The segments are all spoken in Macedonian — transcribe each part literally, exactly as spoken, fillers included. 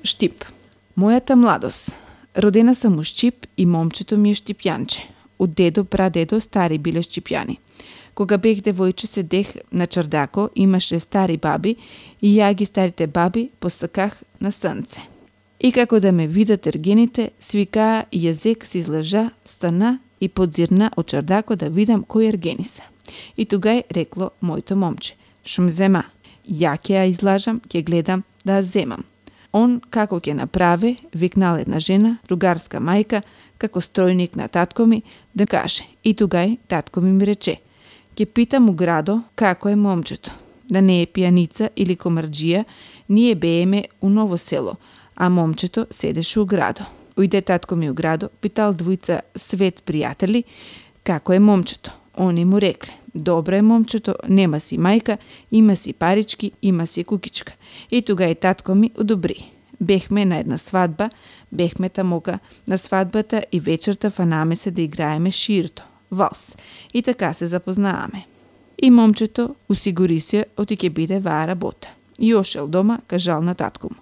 Штип. Мојата младост. Родена сам у Штип и момчето ми е штипјанче. Од дедо, прадедо стари биле штипјани. Кога бех девојче седех на чардако, имаше стари баби и ја ги старите баби посаках на сонце. И како да ме видат ергените, свикаа и јазек се излажа, стана и подзирна од чардако да видам кој ергени се. И тогај рекло моето момче: "Шум зема. Ја ќе ја излажам, ќе гледам да ја земам." Он како ќе направи, викнал една жена, другарска мајка, како стројник на татко ми, да каже. И тогај татко ми ми рече: "Ќе питам у градо како е момчето. Да не е пијаница или комарџија, ние бееме у Ново село, а момчето седеше у градо." Ујде татко ми у градо, питал двојца свет пријатели како е момчето. Они му рекле: "Добро е момчето, нема си мајка, има си парички, има си кукичка." И тогај татко ми одобри. Бехме на една свадба, бехме тамока на свадбата и вечерта фанаме се да играеме ширто, валс. И така се запознааме. И момчето усигури се оти ќе биде ваа работа. И ошел дома, кажал на татко му: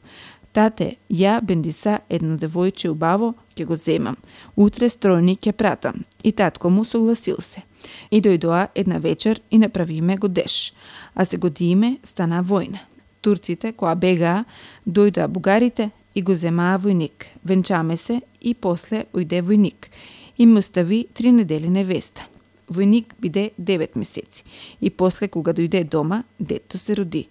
"Тате, ја бендиса едно девојче убаво, ќе го земам. Утре стројник ќе пратам." И татко му согласил се. И дојдоа една вечер и направиме годеш. А се годиме, стана војна. Турците, која бегаа, дојдоа бугарите и го земаа војник. Венчаме се и после ојде војник. И му остави три недели невеста. Војник биде девет месеци. И после кога дојде дома, дето се роди.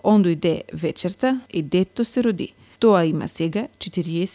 Он дојде вечерта и дето се роди. Тоа има сега четириесет